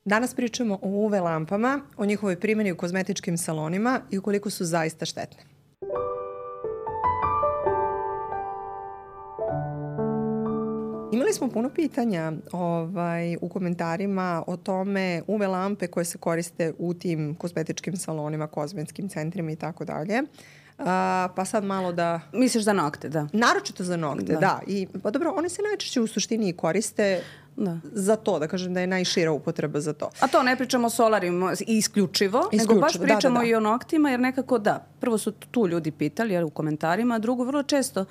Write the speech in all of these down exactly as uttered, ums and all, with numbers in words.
Danas pričamo o U V lampama, o njihovoj primjeni u kozmetičkim salonima i ukoliko su zaista štetne. Imali smo puno pitanja ovaj, u komentarima o tome U V lampe koje se koriste u tim kozmetičkim salonima, kozmetskim centrima i tako dalje. Uh, pa sad malo da... Misliš za nokte, da. Naročito za nokte, da. da. I, pa dobro, one se najčešće u suštini koriste da. za to, da kažem da je najšira upotreba za to. A to ne pričamo o solarima isključivo, isključivo, nego baš pričamo da, da, da. i o noktima, jer nekako da, prvo su tu ljudi pitali jer, u komentarima, a drugo vrlo često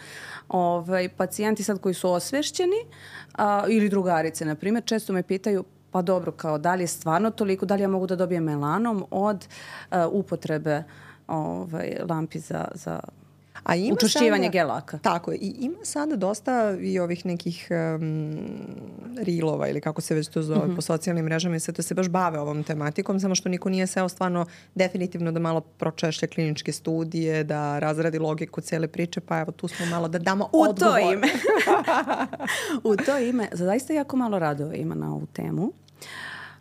ovaj, pacijenti sad koji su osvešćeni a, ili drugarice, na primjer, često me pitaju pa dobro, kao da li je stvarno toliko, da li ja mogu da dobijem melanom od a, upotrebe ovaj, lampi za, za A ima učvršćivanje sada, gelaka. Tako je. I ima sada dosta i ovih nekih um, rilova ili kako se već to zove mm-hmm. po socijalnim mrežama i sve to se baš bave ovom tematikom, samo što niko nije seo stvarno definitivno da malo pročešlja kliničke studije, da razradi logiku cele priče, pa evo tu smo malo da damo u odgovor. To ime. U to ime. Zaista jako malo radova ima na ovu temu.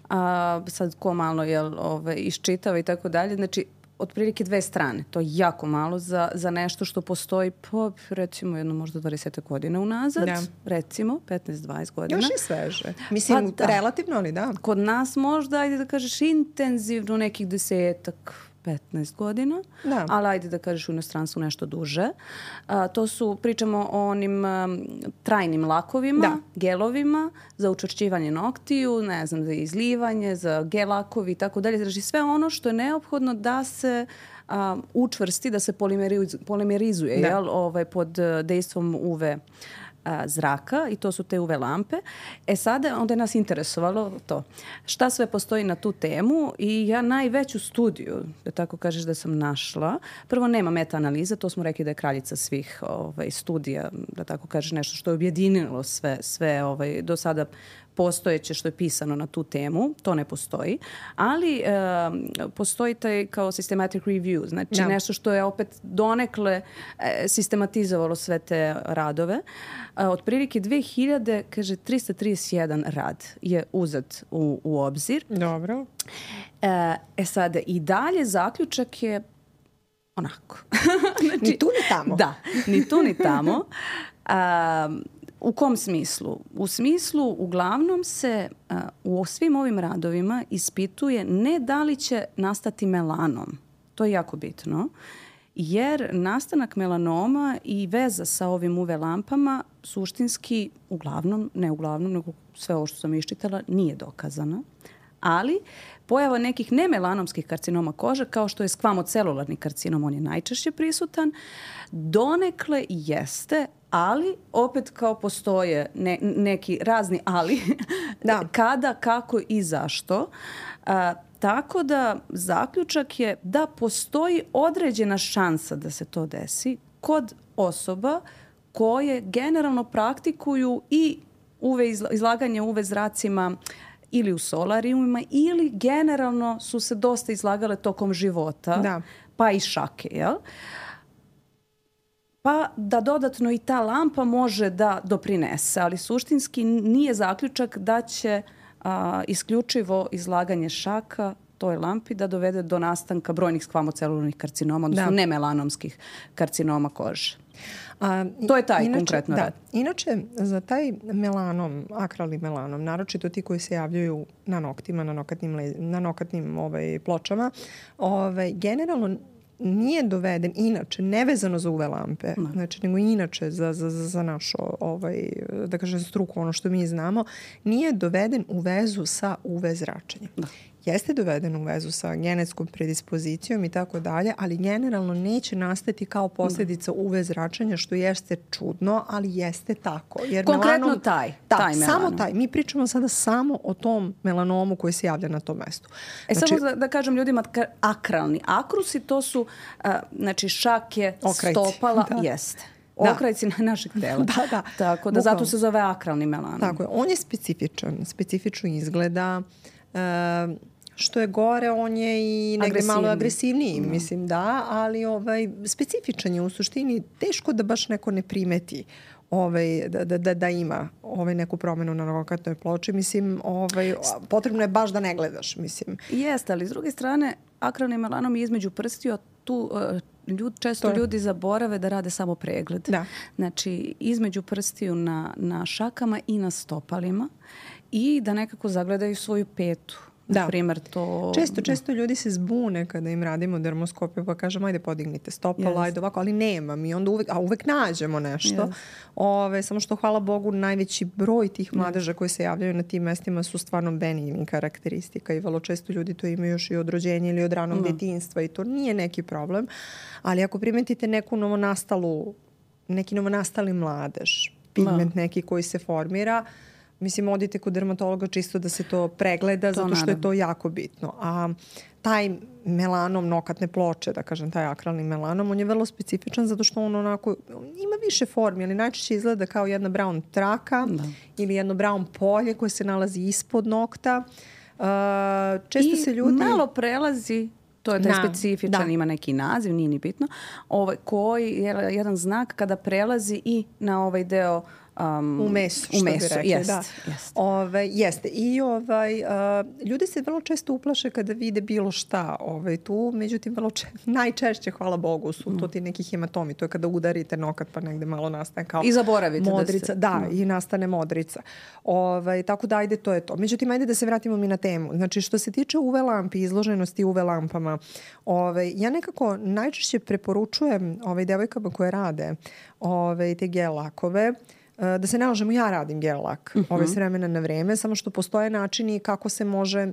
A, sad ko malo jel, ove, iščitava i tako dalje. Znači, otprilike dve strane. To je jako malo za, za nešto što postoji po, recimo, jedno možda dvadeset godina unazad. Da. Recimo, petnaest dvadeset godina. Još i sveže. Mislim, pa, da. relativno, ali da. Kod nas možda, ajde da kažeš, intenzivno nekih desetak, petnaest godina. Da. Ali ajde da kažeš u inostranstvu nešto duže. A, to su, pričamo o onim um, trajnim lakovima, da. gelovima za učvršćivanje noktiju, ne znam, za izlivanje, za gel lakovi i tako dalje. Znači sve ono što je neophodno da se um, učvrsti, da se polimeriz, polimerizuje da. Jel, ovaj, pod dejstvom U V a, zraka i to su te U V lampe. E sada onda je nas interesovalo to. Šta sve postoji na tu temu i ja najveću studiju, da tako kažeš da sam našla, prvo nema meta-analiza, to smo rekli da je kraljica svih ovaj, studija, da tako kažeš nešto što je objedinilo sve, sve ovaj, do sada postojeće što je pisano na tu temu, to ne postoji, ali e, postoji taj kao systematic review, znači no. nešto što je opet donekle e, sistematizovalo sve te radove. E, otprilike dve hiljade, kaže, tristo trideset jedan rad je uzet u, u obzir. Dobro. E, e sada, i dalje zaključak je onako. znači, ni tu ni tamo. Da, ni tu ni tamo. A, u kom smislu? U smislu, uglavnom se uh, u svim ovim radovima ispituje ne da li će nastati melanom. To je jako bitno. Jer nastanak melanoma i veza sa ovim U V lampama suštinski, uglavnom, ne uglavnom, nego sve ovo što sam iščitala, nije dokazana. Ali pojava nekih nemelanomskih karcinoma kože, kao što je skvamocelularni karcinom, on je najčešće prisutan, donekle jeste, ali opet kao postoje ne, neki razni ali, da. kada, kako i zašto. A, tako da zaključak je da postoji određena šansa da se to desi kod osoba koje generalno praktikuju i U V izlaganje U V zracima ili u solarijumima ili generalno su se dosta izlagale tokom života, da. pa i šake, jel? Pa da dodatno i ta lampa može da doprinese, ali suštinski nije zaključak da će a, isključivo izlaganje šaka toj lampi da dovede do nastanka brojnih skvamocelularnih karcinoma, odnosno nemelanomskih karcinoma kože. A, to je taj inače, konkretno da, rad. Inače, za taj melanom, akralni melanom, naročito ti koji se javljaju na noktima, na nokatnim, le, na nokatnim ovaj, pločama, ovaj, generalno nije doveden inače, nevezano za U V lampe, no. znači nego inače za, za, za našu, ovaj, da kažem, struku, ono što mi znamo, nije doveden u vezu sa U V zračenjem. No. Jeste doveden u vezu sa genetskom predispozicijom i tako dalje, ali generalno neće nastati kao posljedica U V zračenja, što jeste čudno, ali jeste tako. Jer konkretno melanom, taj, da, taj melanom. Samo taj. Mi pričamo sada samo o tom melanomu koji se javlja na tom mestu. E znači, samo da, da kažem ljudima, akralni akrusi, to su uh, znači šake, okrajci. Stopala, da. Jeste. Okrajci na našeg tela. da, da. Tako da zato se zove akralni melanom. Tako je. On je specifičan, specifično izgleda. Uh, što je gore, on je i negde malo agresivniji, no. mislim da, ali ovaj, specifičan je u suštini, teško da baš neko ne primeti ovaj, da, da, da ima ovaj, neku promenu na nokatnoj ploči. Mislim, ovaj, potrebno je baš da ne gledaš. Mislim. Jeste, ali s druge strane, akralni melanom je između prstiju, tu uh, ljud, često to... ljudi zaborave da rade samo pregled. Da. Znači, između prstiju na, na šakama i na stopalima i da nekako zagledaju svoju petu. Da. Primer, to... Često, često ljudi se zbune kada im radimo dermoskopiju pa kažemo ajde podignite stopalo, yes. ajde ovako, ali nema mi. Onda uvek, a uvek nađemo nešto. Yes. Ove, samo što hvala Bogu najveći broj tih mladeža yes. koji se javljaju na tim mestima su stvarno benigni karakteristika i vrlo često ljudi to imaju još i od rođenja ili od ranog mm. detinjstva i to nije neki problem. Ali ako primetite neku novonastalu, neki novonastali mladež, pigment mm. neki koji se formira, mislim, odite kod dermatologa čisto da se to pregleda, to zato što naravno. Je to jako bitno. A taj melanom nokatne ploče, da kažem, taj akralni melanom, on je vrlo specifičan zato što on onako, on ima više formi, ali najčešće izgleda kao jedna brown traka da. Ili jedno brown polje koje se nalazi ispod nokta. Uh, često I se ljudi... malo prelazi, to je taj da, specifičan, da. Ima neki naziv, nije ni bitno, ovaj, koji je jedan znak kada prelazi i na ovaj deo Um, u mesu, u mesu, što bi rekli, jest, da. Jest. Ove, jeste. I ovaj, uh, ljudi se vrlo često uplaše kada vide bilo šta ovaj, tu, međutim vrlo če, najčešće, hvala Bogu, su mm. to ti neki hematomi. To je kada udarite nokat pa negde malo nastane kao i zaboravite modrica. Da, se... da mm. i nastane modrica. Ovaj, tako da ajde, to je to. Međutim, ajde da se vratimo mi na temu. Znači, što se tiče U V lampi, izloženosti U V lampama, ovaj, ja nekako najčešće preporučujem ovaj, devojkama koje rade ovaj, te gel lakove, da se ne lažemo, ja radim gel lak uh-huh. ove s vremena na vreme, samo što postoje načini kako se može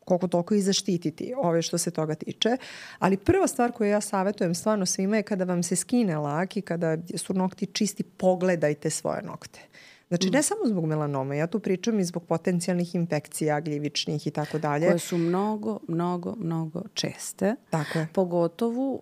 koliko toliko i zaštititi ove što se toga tiče. Ali prva stvar koju ja savjetujem stvarno svima je kada vam se skine lak i kada su nokti čisti, pogledajte svoje nokte. Znači, ne samo zbog melanoma, ja tu pričam i zbog potencijalnih infekcija, gljivičnih i tako dalje. Koje su mnogo, mnogo, mnogo česte. Tako je. Pogotovo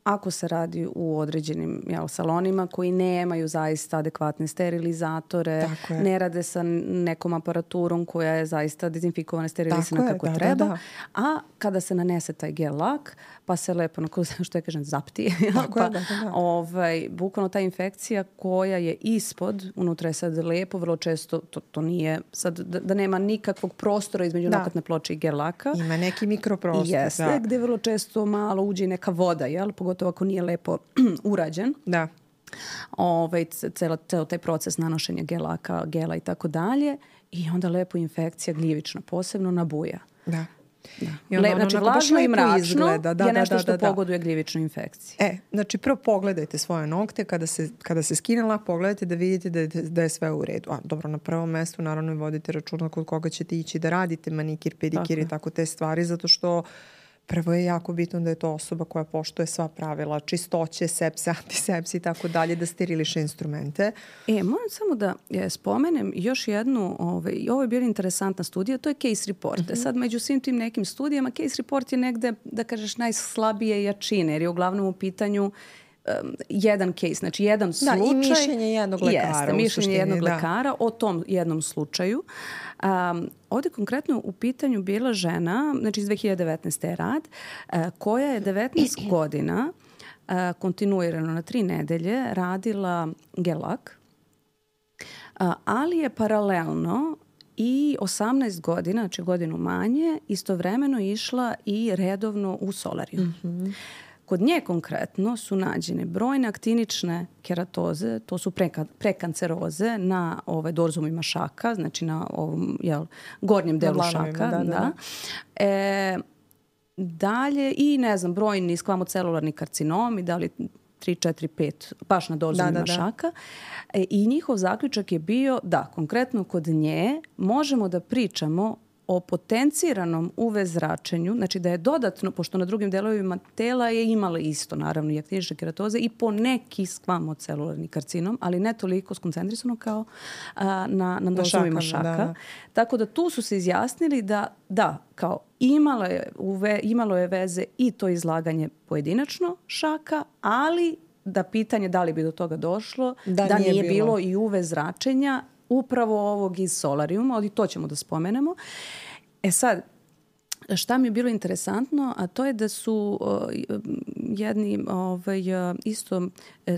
ako se radi u određenim jel, salonima koji nemaju zaista adekvatne sterilizatore, ne rade sa nekom aparaturom koja je zaista dezinfikovana, sterilisana tako kako je, da, treba. Da, da. A kada se nanese taj gel lak, pa se lepo, što ja kažem, zapti. Tako pa, je, da, da. Ovaj, bukvalno ta infekcija koja je ispod, unutra je sad lepo, vrlo često to, to nije, sad da, da nema nikakvog prostora između da. Nokatne ploče i gel laka. Ima neki mikroprostor. Jeste, da. Gde vrlo često malo uđe neka voda, jel? Pogotovo ako nije lepo urađen. Da. Ovaj, celo, celo taj proces nanošenja gelaka, gela i tako dalje. I onda lepo infekcija gljivična posebno nabuja. Da. Da. I onda, Le, znači vlažno i mračno izgleda. Da, je nešto da, da, da, što pogoduje gljivičnoj infekciji. E, znači prvo pogledajte svoje nokte kada se, kada se skine lak, pogledajte da vidite da je, da je sve u redu. A dobro, na prvom mestu naravno i vodite računa kod koga ćete ići da radite manikir, pedikir i tako te stvari, zato što prvo je jako bitno da je to osoba koja poštuje sva pravila, čistoće, sepse, antisepse i tako dalje, da steriliše instrumente. E, moram samo da je, spomenem još jednu, ovaj, ovo je bila interesantna studija, to je case report. Uh-huh. Sad, među svim tim nekim studijama, case report je negde, da kažeš, najslabije jačine, jer je uglavnom u pitanju um, jedan case, znači jedan slučaj. Da, i mišljenje jednog lekara. Jeste, mišljenje suštini, jednog da. lekara o tom jednom slučaju. Um, ovdje konkretno u pitanju bila žena, znači iz dve hiljade devetnaeste je rad, uh, koja je devetnaest godina uh, kontinuirano na tri nedelje radila gel lak, uh, ali je paralelno i osamnaest godina, znači godinu manje, istovremeno išla i redovno u solariju. Mm-hmm. Kod nje konkretno su nađene brojne aktinične keratoze, to su preka, prekanceroze na ovaj, dorzumima šaka, znači na ovom jel, gornjem delu šaka. Da, da, da. E, dalje i ne znam, brojni skvamocelularni karcinomi, da li tri, četiri, pet, baš na dorzumima da, da, da. šaka. E, I njihov zaključak je bio da konkretno kod nje možemo da pričamo o potenciranom U V zračenju, znači da je dodatno, pošto na drugim delovima tela je imala isto, naravno, i aktinične keratoze i po neki skvamocelularni karcinom, ali ne toliko skoncentrisano kao a, na, na dozovima šaka. Da, da. Tako da tu su se izjasnili da, da, kao imalo je, uve, imalo je veze i to izlaganje pojedinačno šaka, ali da pitanje da li bi do toga došlo, da, da nije, nije bilo. bilo i U V zračenja upravo ovog iz solarijuma, ali to ćemo da spomenemo. E sad, šta mi je bilo interesantno, a to je da su, jedni ovaj, isto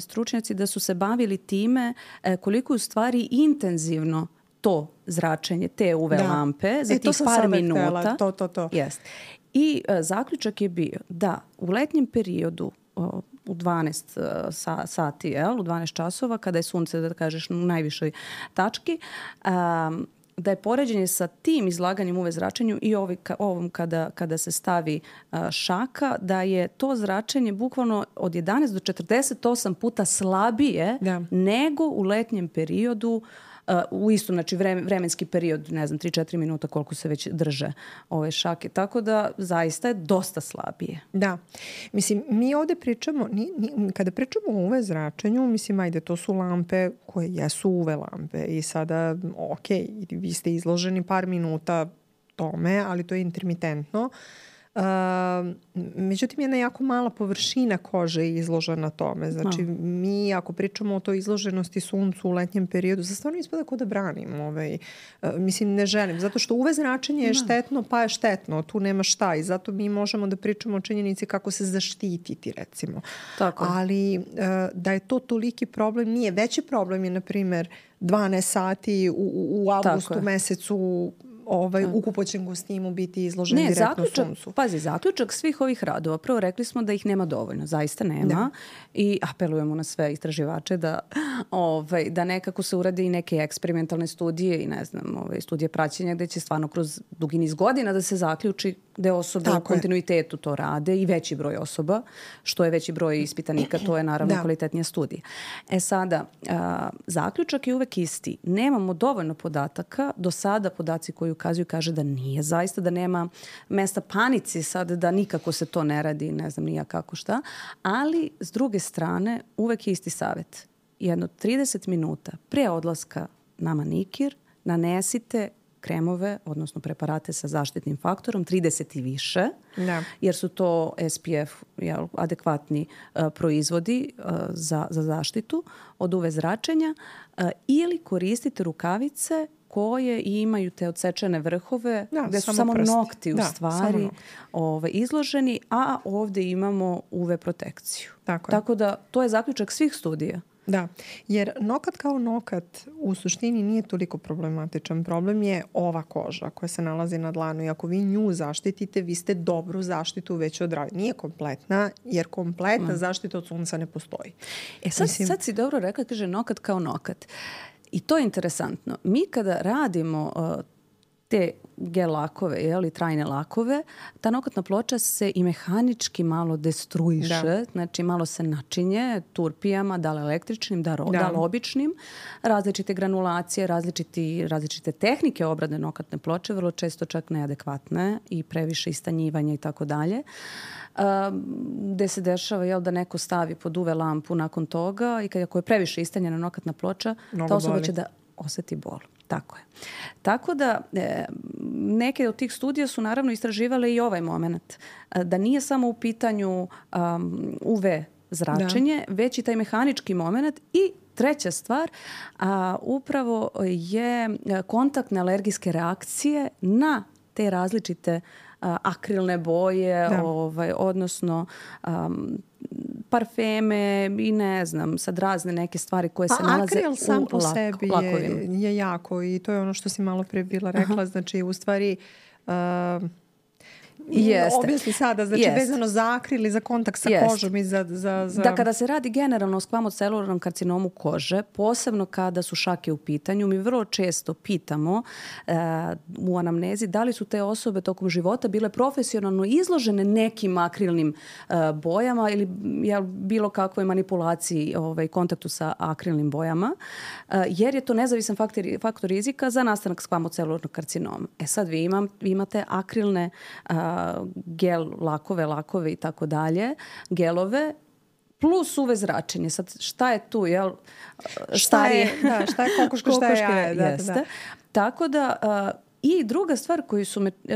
stručnjaci da su se bavili time koliko u stvari intenzivno to zračenje, te U V da. lampe za e, tih par minuta. To, to, to. Jest. I uh, zaključak je bio da u letnjem periodu uh, u dvanaest uh, sa, sati, jel, u dvanaest časova, kada je sunce, da kažeš, u najvišoj tački, um, da je poređenje sa tim izlaganjem U V zračenju i ovi, ka, ovom kada, kada se stavi uh, šaka, da je to zračenje bukvalno od jedanaest do četrdeset osam puta slabije da. nego u letnjem periodu. Uh, u istom, znači vremenski period, ne znam, tri do četiri minuta koliko se već drže ove šake. Tako da zaista je dosta slabije. Da. Mislim, mi ovde pričamo, ni, ni, kada pričamo o U V zračenju, mislim, ajde, to su lampe koje jesu U V lampe i sada, ok, vi ste izloženi par minuta tome, ali to je intermitentno. Uh, međutim, jedna jako mala površina kože je izložena tome. Znači, no. mi ako pričamo o toj izloženosti suncu u letnjem periodu, za stvarno ispada kao da branim. Ovaj, uh, mislim, ne želim. Zato što U V zračenje je no. štetno, pa je štetno. Tu nema šta. I zato mi možemo da pričamo o činjenici kako se zaštititi, recimo. Tako. Ali uh, da je to toliki problem, nije. Veći problem je, na primer, dvanaest sati u, u avgustu mesecu ovaj, u kupoćem kostimu biti izložen ne, direktno zaključak, suncu. Pazi, zaključak svih ovih radova. Prvo rekli smo da ih nema dovoljno. Zaista nema. Da. I apelujemo na sve istraživače da, ovaj, da nekako se urade i neke eksperimentalne studije i ne znam, ovaj, studije praćenja gde će stvarno kroz dugi niz godina da se zaključi gde osobe Tako u kontinuitetu je. to rade i veći broj osoba. Što je veći broj ispitanika, to je naravno da. kvalitetnija studija. E sada, a, zaključak je uvek isti. Nemamo dovoljno podataka. Do sada podaci koji ukazuju kaže da nije zaista, da nema mesta panici sad, da nikako se to ne radi, ne znam nija kako šta. Ali, s druge strane, uvek je isti savjet. Jedno trideset minuta pre odlaska na manikir nanesite kremove, odnosno preparate sa zaštitnim faktorom, trideset i više, da. jer su to S P F jel, adekvatni uh, proizvodi uh, za, za zaštitu od U V zračenja uh, ili koristite rukavice koje imaju te odsečene vrhove, da, gde su samo, samo nokti u da, stvari ove, izloženi, a ovde imamo U V protekciju. Tako, Tako da to je zaključak svih studija. Da, jer nokat kao nokat u suštini nije toliko problematičan. Problem je ova koža koja se nalazi na dlanu i ako vi nju zaštitite, vi ste dobru zaštitu već odradili. Nije kompletna, jer kompletna mm. zaštita od sunca ne postoji. E sad, Mislim... sad si dobro rekla, kaže nokat kao nokat. I to je interesantno. Mi kada radimo uh, te gel lakove ili trajne lakove, ta nokatna ploča se i mehanički malo destruiše, da. znači malo se načinje turpijama, da li električnim, da, ro, da. da li običnim. Različite granulacije, različiti, različite tehnike obrade nokatne ploče, vrlo često čak neadekvatne i previše istanjivanja i tako dalje. Gde se dešava jel, da neko stavi pod U V lampu nakon toga i kad ako je previše istanjena nokatna ploča, Mnogo ta osoba boli. će da oseti bol. Tako je. Tako da e, neke od tih studija su naravno istraživale i ovaj moment. Da nije samo u pitanju um, U V zračenje, da. već i taj mehanički moment i treća stvar, a, upravo je kontaktne alergijske reakcije na te različite a, akrilne boje, ovaj, odnosno um, parfeme i ne znam, sad razne neke stvari koje pa se nalaze akril sam u po lak, sebi je, je jako i to je ono što si malo pre bila rekla, Aha. znači u stvari uh, Jeste. Objasni sada, znači Jeste. vezano za akril i za kontakt sa Jeste. kožom i za, za, za... Da kada se radi generalno o skvamocelularnom karcinomu kože, posebno kada su šake u pitanju, mi vrlo često pitamo uh, u anamnezi da li su te osobe tokom života bile profesionalno izložene nekim akrilnim uh, bojama ili jel, bilo kakvoj manipulaciji ovaj, kontaktu sa akrilnim bojama, uh, jer je to nezavisan faktor, faktor rizika za nastanak skvamocelularnog karcinoma. E sad vi, imam, vi imate akrilne uh, gel lakove, lakove i tako dalje, gelove, plus U V zračenje. Sad šta je tu, jel? Šta je, da, šta je kokoška, šta je jaje. Da, jeste. Da. Tako da, uh, i druga stvar koju su me uh,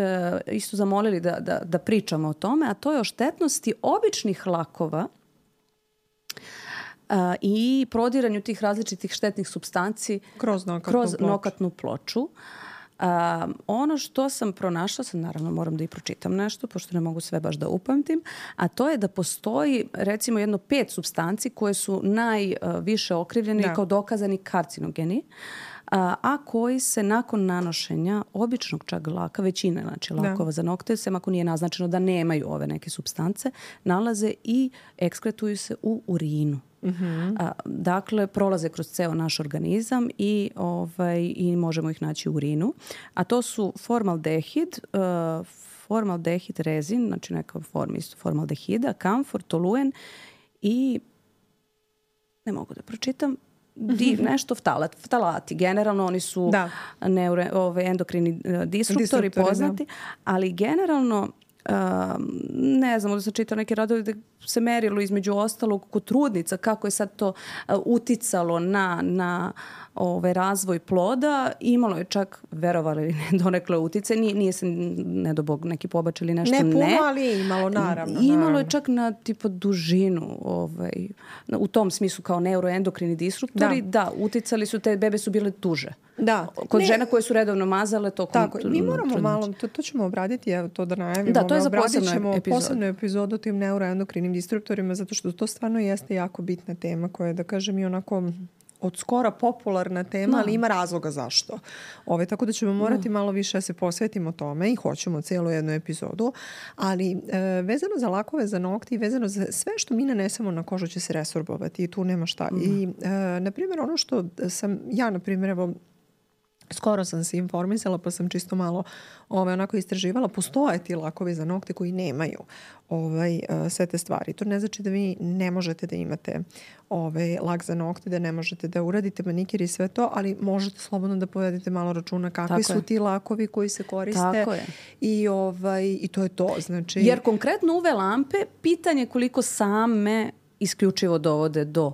isto zamolili da, da, da pričamo o tome, a to je o štetnosti običnih lakova uh, i prodiranju tih različitih štetnih supstanci kroz nokatnu kroz ploču. nokatnu ploču. A, ono što sam pronašla, sam naravno moram da i pročitam nešto, pošto ne mogu sve baš da upamtim, a to je da postoji recimo jedno pet supstanci koje su najviše okrivljene da. i kao dokazani karcinogeni, a, a koji se nakon nanošenja običnog čak laka, većine znači lakova da. za nokte, sem ako nije naznačeno da nemaju ove neke supstance, nalaze i ekskretuju se u urinu. Uh-huh. A, dakle, prolaze kroz ceo naš organizam i, ovaj, i možemo ih naći u urinu. A to su formaldehid, uh, formaldehid rezin, znači neka forma isto formaldehida, kamfor, toluen i ne mogu da pročitam, Di, nešto ftalat, ftalati. Generalno oni su da. neuro, ove, endokrini uh, disruptori poznati, da. ali generalno uh, ne znam, da sam čitala neke radovi da se merilo između ostalog kod trudnica kako je sad to uh, uticalo na, na ove, razvoj ploda. Imalo je čak, verovali ili ne, donekle utice. Nije, nije se, ne do Bog, neki pobačaj ili nešto. Ne puno, ne. ali je imalo, naravno. Imalo naravno. je čak na tipa dužinu, ovaj, u tom smislu kao neuroendokrini disruptori. Da. da, uticali su, te bebe su bile duže. Da. Kod ne. žena koje su redovno mazale tokom Tako, tr- mi moramo trudnoće. malo, to, to ćemo obraditi, evo to da najavimo. Da, to je za posebnu epizodu. posebnu epizodu o tim neuroendokrinim disruptorima, zato što to stvarno jeste jako bitna tema koja je, da kažem, i onako od skora popularna tema, no. ali ima razloga zašto. Ove, tako da ćemo morati no. malo više da se posvetimo tome i hoćemo cijelu jednu epizodu, ali e, vezano za lakove za nokti i vezano za sve što mi nanesemo na kožu će se resorbovati i tu nema šta. No. I, e, na primjer, ono što sam ja, na primjer, evo, skoro sam se informisala pa sam čisto malo ovaj, onako istraživala. Postoje ti lakovi za nokte koji nemaju ovaj, uh, sve te stvari. To ne znači da vi ne možete da imate ovaj, lak za nokte, da ne možete da uradite manikir i sve to, ali možete slobodno da povedete malo računa kakvi Tako su je. ti lakovi koji se koriste. Tako je. I, ovaj, i to je to. Znači... Jer konkretno uve lampe, pitanje koliko same isključivo dovode do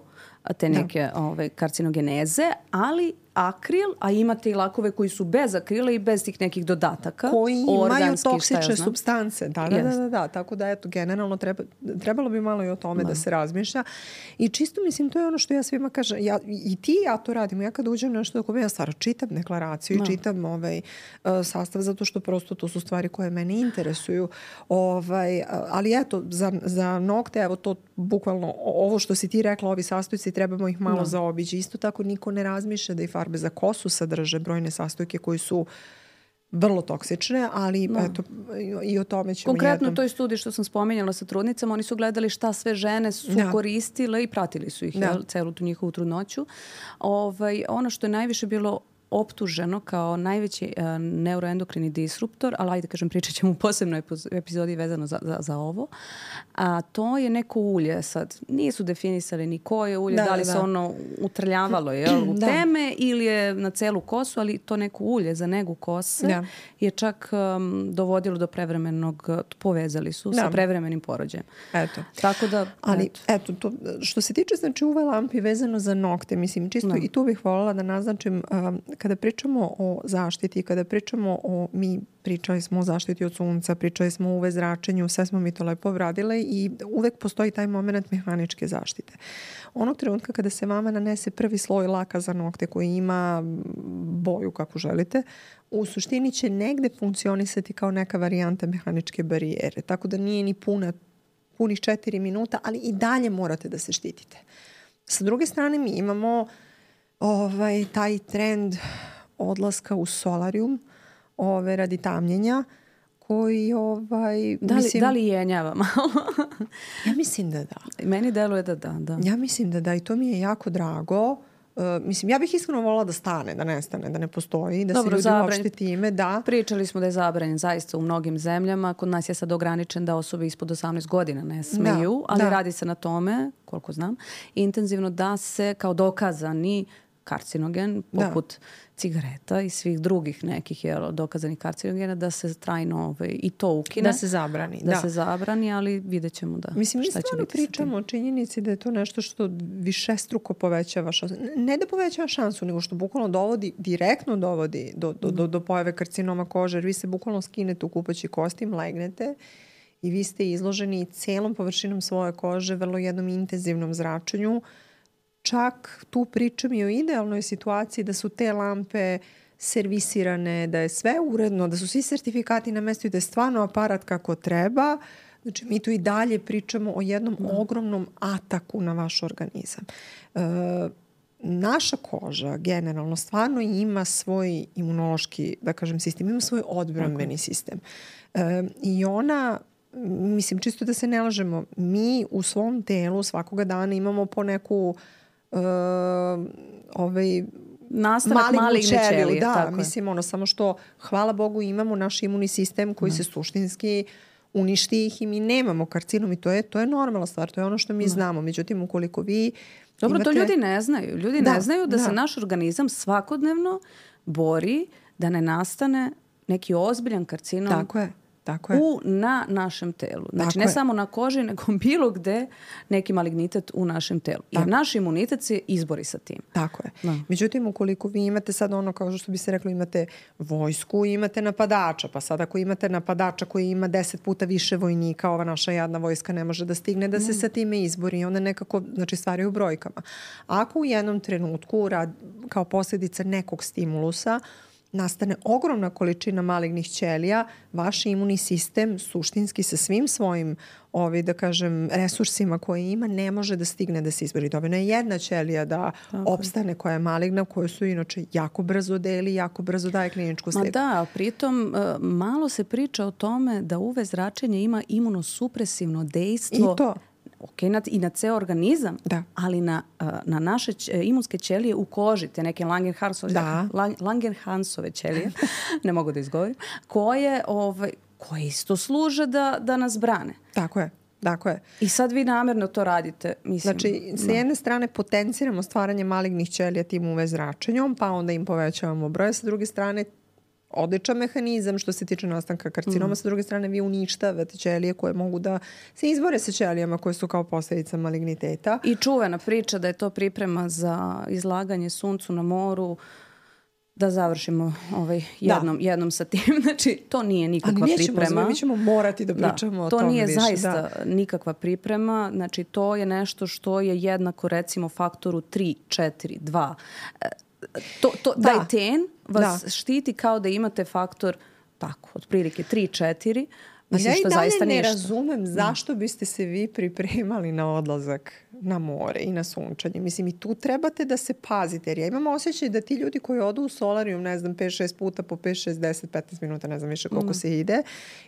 te neke ove, karcinogeneze, ali akril, a imate i lakove koji su bez akrila i bez tih nekih dodataka. Koji imaju organski, toksične supstance. Da, da, da, da, da. Tako da, eto, generalno treba, trebalo bi malo i o tome da. da se razmišlja. I čisto, mislim, to je ono što ja svima kažem. Ja, I ti ja to radim. Ja kad uđem nešto dok ja stvarno čitam deklaraciju i no. čitam ovaj, uh, sastav, zato što prosto to su stvari koje mene interesuju. Ovaj, uh, ali eto, za, za nokte, evo to bukvalno, ovo što si ti rekla, ovi sastojci, trebamo ih malo no. zaobići. Isto tako niko ne razmišlja da i farbe za kosu sadrže brojne sastojke koji su vrlo toksične, ali no. eto, i o tome ćemo Konkretno jednom... u toj studiji što sam spominjala sa trudnicama, oni su gledali šta sve žene su ja. koristile i pratili su ih ja. jel, celu tu njihovu trudnoću. Ovaj, ono što je najviše bilo optuženo kao najveći uh, neuroendokrini disruptor, ali ajde kažem pričat ćemo u posebnoj epizodi vezano za, za, za ovo, a to je neko ulje sad. Nisu definisali ni koje ulje, da, da li da. se ono utrljavalo je, u da. teme ili je na celu kosu, ali to neko ulje za negu kose da. je čak um, dovodilo do prevremenog, povezali su da. sa prevremenim porođajem. Eto. Tako da, ali eto, eto to, što se tiče znači uve lampi vezano za nokte, mislim čisto da. i tu bih voljela da naznačim um, kada pričamo o zaštiti, kada pričamo o, mi pričali smo o zaštiti od sunca, pričali smo o U V zračenju, sve smo mi to lepo obradile i uvek postoji taj moment mehaničke zaštite. Onog trenutka kada se vama nanese prvi sloj laka za nokte koji ima boju kako želite, u suštini će negde funkcionisati kao neka varijanta mehaničke barijere. Tako da nije ni puna, punih četiri minuta, ali i dalje morate da se štitite. Sa druge strane mi imamo ovaj, taj trend odlaska u solarium ove, radi tamljenja koji ovaj, da li, mislim, da li jenjava malo? Ja mislim da da. Meni deluje da da, da. Ja mislim da da i to mi je jako drago. Uh, mislim, ja bih iskreno volila da stane, da nestane, da ne postoji, da Dobro, se ljudi uopšte time, da. Pričali smo da je zabranjen zaista u mnogim zemljama. Kod nas je sad ograničen da osobe ispod osamnaest godina ne smeju, da, ali da. radi se na tome, koliko znam, intenzivno da se kao dokazani karcinogen, poput da. cigareta i svih drugih nekih jel, dokazanih karcinogena, da se trajno ovaj, i to ukine. Da se zabrani. Da, da. se zabrani, ali vidjet ćemo da Mislim, šta će biti. Pričamo o činjenici da je to nešto što višestruko povećava šansu. Ne da povećava šansu, nego što bukvalno dovodi, direktno dovodi do, do, do, do pojave karcinoma kože, jer vi se bukvalno skinete u kupaći kostim, legnete i vi ste izloženi celom površinom svoje kože, vrlo jednom intenzivnom zračenju. Čak tu pričam i o idealnoj situaciji da su te lampe servisirane, da je sve uredno, da su svi sertifikati na mestu i da je stvarno aparat kako treba. Znači, mi tu i dalje pričamo o jednom da. ogromnom ataku na vaš organizam. E, naša koža generalno stvarno ima svoj imunološki, da kažem, sistem, ima svoj odbrambeni okay. sistem. E, I ona, mislim, čisto da se ne lažemo, mi u svom telu svakoga dana imamo po neku e, ovaj, nastavak maligne ćelije. Da, tako mislim, je. ono, samo što, hvala Bogu, imamo naš imunni sistem koji da. se suštinski uništi ih i mi nemamo karcinom i to je, to je normalna stvar, to je ono što mi da. znamo. Međutim, ukoliko vi Dobro, imate... to ljudi ne znaju. Ljudi da, ne znaju da, da se naš organizam svakodnevno bori da ne nastane neki ozbiljan karcinom. Tako je. Tako je. U, na našem telu. Znači Tako ne je. samo na koži, nego bilo gde neki malignitet u našem telu. Jer Tako. naš imunitet se izbori sa tim. Tako je. Da. Međutim, ukoliko vi imate sad ono, kao što bi se reklo, imate vojsku, imate napadača, pa sad ako imate napadača koji ima deset puta više vojnika, ova naša jadna vojska ne može da stigne da se mm. sa time izbori. Onda nekako, znači, stvari u brojkama. Ako u jednom trenutku, rad, kao posljedica nekog stimulusa, nastane ogromna količina malignih ćelija, vaš imunni sistem suštinski sa svim svojim ovi, da kažem, resursima koje ima ne može da stigne da se izbori. Dovoljno je jedna ćelija da Tako. opstane koja je maligna, koju su inače jako brzo deli, jako brzo daje kliničku sliku. Ma da, pritom malo se priča o tome da U V zračenje ima imunosupresivno dejstvo. I to. Ok, na, i na ceo organizam, da. ali na, na naše ć, imunske ćelije u koži, te neke Langerhansove, da. Langerhansove ćelije, ne mogu da izgovorim, koje, ovaj, koje isto služe da, da nas brane. Tako je. Tako je. I sad vi namjerno to radite. Mislim, znači, sa jedne strane potenciramo stvaranje malignih ćelija tim U V zračenjom, pa onda im povećavamo broj, sa druge strane odličan mehanizam što se tiče nastanka karcinoma. Mm. Sa druge strane, vi uništavate ćelije koje mogu da se izbore sa ćelijama koje su kao posljedica maligniteta. I čuvena priča da je to priprema za izlaganje suncu na moru, da završimo ovaj jednom, da. jednom sa tim. Znači, to nije nikakva Ali priprema. Ali mi ćemo morati da pričamo da, o tome To nije više. zaista da. nikakva priprema. Znači, to je nešto što je jednako, recimo, faktoru tri, četiri, dva. To, to, da. Taj ten vas da. štiti kao da imate faktor tako, otprilike tri četiri. Mislim, ja i dalje ne razumem zašto biste se vi pripremali na odlazak na more i na sunčanje. Mislim, i tu trebate da se pazite. Jer ja imam osjećaj da ti ljudi koji odu u solarijum, ne znam, pet šest puta po pet, šest, deset, petnaest minuta, ne znam više koliko mm. se ide,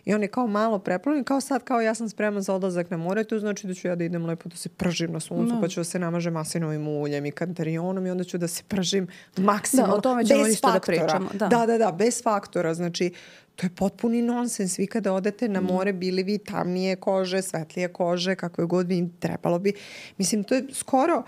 i on je kao malo preplavljen, kao sad, kao ja sam spreman za odlazak na more, to znači da ću ja da idem lepo da se pržim na suncu, mm. pa ću da se namažem maslinovim uljem i kantarionom i onda ću da se pržim maksimalno, da, o tome ćemo bez isto faktora. Da pričamo. Da. da, da, da, bez faktora. Znači, to je potpuni nonsens. Vi kada odete na more, bili vi tamnije kože, svetlije kože, kako je god vi trebalo bi. Mislim, to je skoro...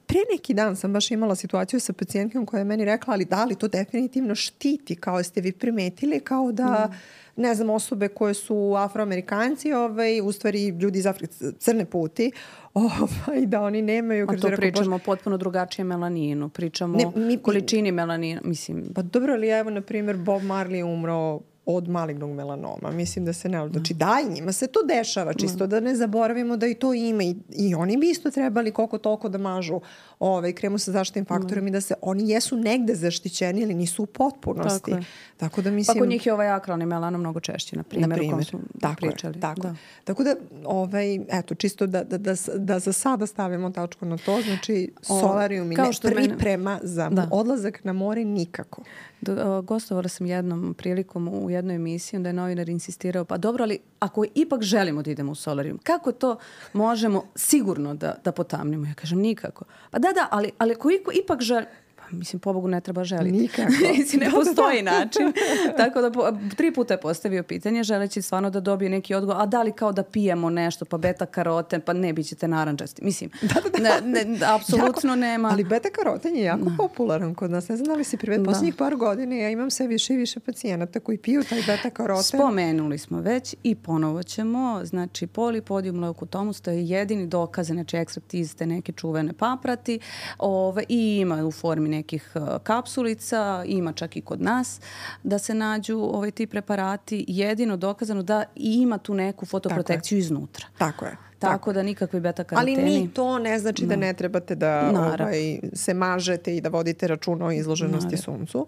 Pre neki dan sam baš imala situaciju sa pacijentkom koja je meni rekla, ali da li to definitivno štiti, kao ste vi primetili, kao da, mm. ne znam, osobe koje su afroamerikanci, ovaj, u stvari ljudi iz Afrike, crne puti, ovaj, da oni nemaju... A to rekao, pričamo o potpuno drugačijem melaninu, pričamo ne, mi, o količini melanina, mislim... Pa dobro, ali evo, na primjer, Bob Marley je umro od malignog melanoma. Mislim da se ne... Znači, da, i njima se to dešava, čisto da ne zaboravimo da i to ima. I, i oni bi isto trebali koliko toliko da mažu ovaj, kremu sa zaštitnim faktorom i da se... Oni jesu negde zaštićeni, ali nisu u potpunosti. Tako, tako da mislim... Pa kod njih je ovaj akralni melanom mnogo češći, na primjer, na primjer. U kom smo tako pričali. Je, tako. Da. tako da, ovaj, eto, čisto da, da, da, da za sada stavimo tačku na to, znači solarijum i ne priprema mene... za da. odlazak na more nikako. Do, gostovala sam jednom prilikom u jednoj emisiji, onda je novinar insistirao, pa dobro, ali ako ipak želimo da idemo u solarijum, kako to možemo sigurno da, da potamnimo? Ja kažem, nikako. Pa da, da, ali, ali ako ipak želimo, mislim, pobogu ne treba želiti. Nikako. Mislim, ne postoji način. Tako da po, tri puta je postavio pitanje, želeći stvarno da dobije neki odgovor, a da li kao da pijemo nešto, pa beta karoten, pa ne, bit ćete narančasti. Mislim, da, da, da. Ne, ne, apsolutno jako, nema. Ali beta karoten je jako da. popularan kod nas. Ne znam da li si privet, posljednjih par godina ja imam sve više i više pacijenata koji piju taj beta karoten. Spomenuli smo već i ponovo ćemo, znači polipodium leukotomus, to je jedini dokaz, znači ekstrakt iz te neke čuvene paprati, ove, i ima u formi nekih kapsulica, ima čak i kod nas da se nađu ovaj, ti preparati. Jedino dokazano da ima tu neku fotoprotekciju Tako iznutra. Tako je. Tako, Tako da nikakve beta karoteni. Ali ni to ne znači da ne trebate da ovaj, se mažete i da vodite računa o izloženosti Naravno. suncu.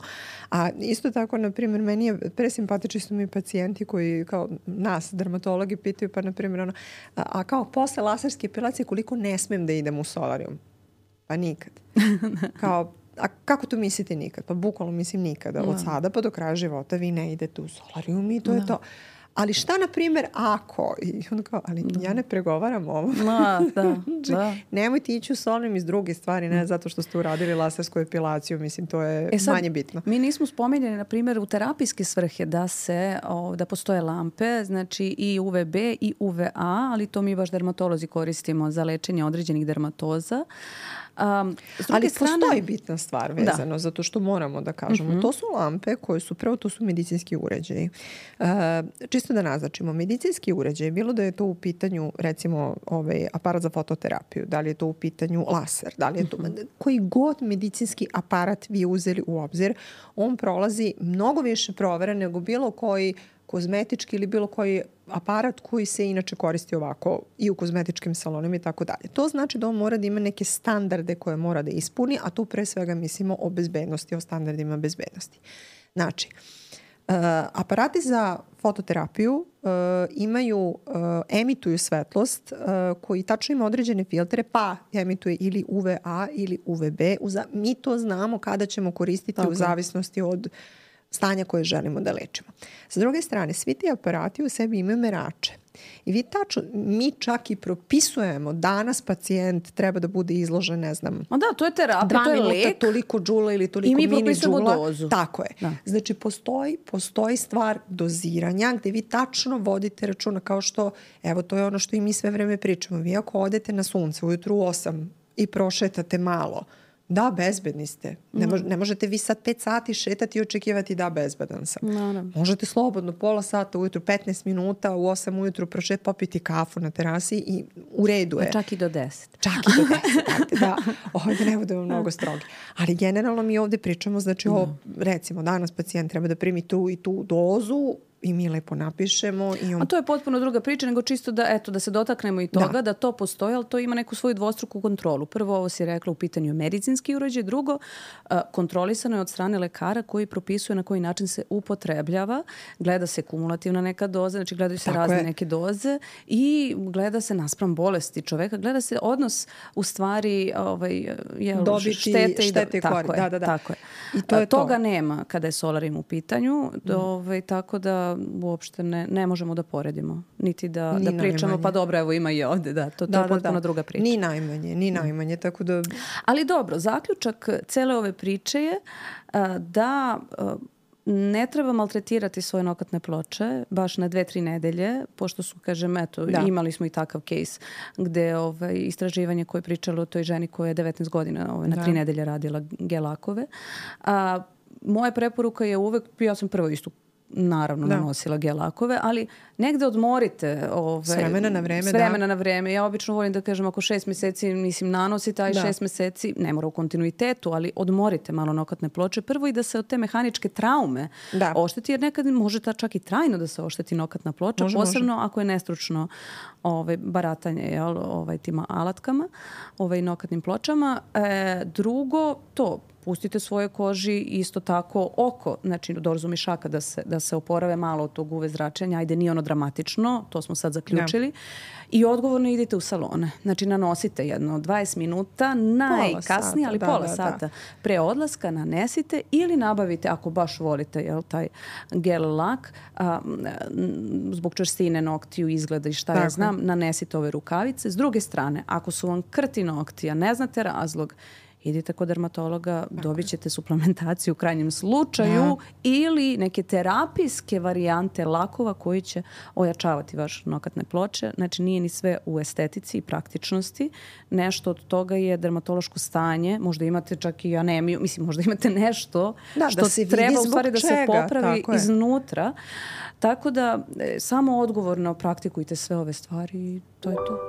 A isto tako, na primjer, meni je presimpatični su mi pacijenti koji kao nas, dermatologi, pitaju pa na primjer ono, a, a kao posle laserske epilacije koliko ne smem da idem u solarium? Pa nikad. Kao, a kako to mislite nikad? Pa bukvalno mislim nikada. Od sada pa do kraja života vi ne idete u solarium i to da. je to. Ali šta, na primjer, ako... I on kao, ali da. ja ne pregovaram ovo. Da, da, da. Nemojte ići u solarium iz druge stvari, ne zato što ste uradili lasersku epilaciju. Mislim, to je e sad, manje bitno. Mi nismo spomenuli, na primjer, u terapijske svrhe da se, o, da postoje lampe, znači i U V B i U V A, ali to mi baš dermatolozi koristimo za lečenje određenih dermatoza. Um, ali strane, postoji bitna stvar vezano, da. zato što moramo da kažemo. Mm-hmm. To su lampe koje su, prvo to su medicinski uređaji. Uh, čisto da naznačimo, medicinski uređaj, bilo da je to u pitanju recimo ovaj aparat za fototerapiju, da li je to u pitanju laser, da li je to mm-hmm. koji god medicinski aparat vi uzeli u obzir, on prolazi mnogo više provere nego bilo koji kozmetički ili bilo koji aparat koji se inače koristi ovako i u kozmetičkim salonima i tako dalje. To znači da on mora da ima neke standarde koje mora da ispuni, a tu pre svega mislimo o bezbednosti, o standardima bezbednosti. Znači, uh, aparati za fototerapiju uh, imaju, uh, emituju svetlost uh, koji tačno ima određene filtere, pa emituje ili U V A ili U V B. Mi to znamo kada ćemo koristiti tako. U zavisnosti od stanja koje želimo da lečimo. Sa druge strane, svi ti aparati u sebi imaju merače. I vi tačno, mi čak i propisujemo danas pacijent treba da bude izložen, ne znam, a da, to je terapija, to je lek. Toliko džula ili toliko mini džula. I mi propisujemo dozu. Tako je. Da. Znači, postoji, postoji stvar doziranja gde vi tačno vodite računa kao što, evo, to je ono što i mi sve vreme pričamo. Vi ako odete na sunce ujutru u osam i prošetate malo, da, bezbedni ste. Ne, mož, ne možete vi sad pet sati šetati i očekivati da bezbedan sam. Naravno. Možete slobodno pola sata ujutru, petnaest minuta, u osam ujutru prošet, popiti kafu na terasi i u redu je. A čak i do deset. Čak i do deset. Da, ovdje ne budemo mnogo strogi. Ali generalno mi ovdje pričamo, znači o, recimo danas pacijent treba da primi tu i tu dozu i mi lepo napišemo. I on... A to je potpuno druga priča, nego čisto da, eto, da se dotaknemo i toga, da, da to postoji, ali to ima neku svoju dvostruku kontrolu. Prvo, ovo si rekla u pitanju medicinski uređaj, drugo, kontrolisano je od strane lekara koji propisuje na koji način se upotrebljava, gleda se kumulativna neka doza, znači gledaju se Tako razne je. neke doze i gleda se naspram bolesti čoveka, gleda se odnos u stvari ovaj, jel, dobiti štete, štete i tako, da, da, da. tako je. I to je toga to. nema kada je solarium u pitanju, mm. ovaj, tako da uopšte ne, ne možemo da poredimo, niti da, da pričamo, najmanje. Pa dobro, evo ima i ovde, da, to, to da, je potpuno da, da. druga priča. Ni najmanje, ni najmanje, tako da... Ali dobro, zaključak cele ove priče je a, da a, ne treba maltretirati svoje nokatne ploče baš na dve, tri nedelje, pošto su, kažem, eto, da. imali smo i takav case gde ovaj, istraživanje koje je pričalo o toj ženi koja je devetnaest godina ovaj, na da. tri nedelje radila gelakove. A, moja preporuka je uvek, ja sam prvo istu naravno da. nanosila gelakove, ali negde odmorite ove, s vremena na vreme. S vremena da. na vreme. Ja obično volim da kažem ako šest meseci mislim nanosite, aj da. šest meseci, ne mora u kontinuitetu, ali odmorite malo nokatne ploče. Prvo i da se od te mehaničke traume da. ošteti, jer nekad može ta čak i trajno da se ošteti nokatna ploča, može, posebno može. ako je nestručno ovaj, baratanje jel, ovaj, tima alatkama, ovaj, nokatnim pločama. E, drugo, to pustite svoje koži isto tako oko, znači dorzu mišaka da se, da se oporave malo od tog U V zračenja. Ajde, nije ono dramatično, to smo sad zaključili. Ja. I odgovorno idite u salone. Znači nanosite jedno dvadeset minuta, najkasnije, ali da, pola da, sata da. pre odlaska nanesite ili nabavite, ako baš volite jel, taj gel lak, a, zbog čvrstine noktiju, izgleda i šta tako. ja znam, nanesite ove rukavice. S druge strane, ako su vam krti noktija, ne znate razlog, idite kod dermatologa, dobit ćete suplementaciju u krajnjem slučaju da. ili neke terapijske varijante lakova koji će ojačavati vaše nokatne ploče. Znači nije ni sve u estetici i praktičnosti. Nešto od toga je dermatološko stanje. Možda imate čak i anemiju. Mislim, možda imate nešto da, što da se treba u stvari da čega. se popravi tako iznutra. Tako da e, samo odgovorno praktikujte sve ove stvari i to je to.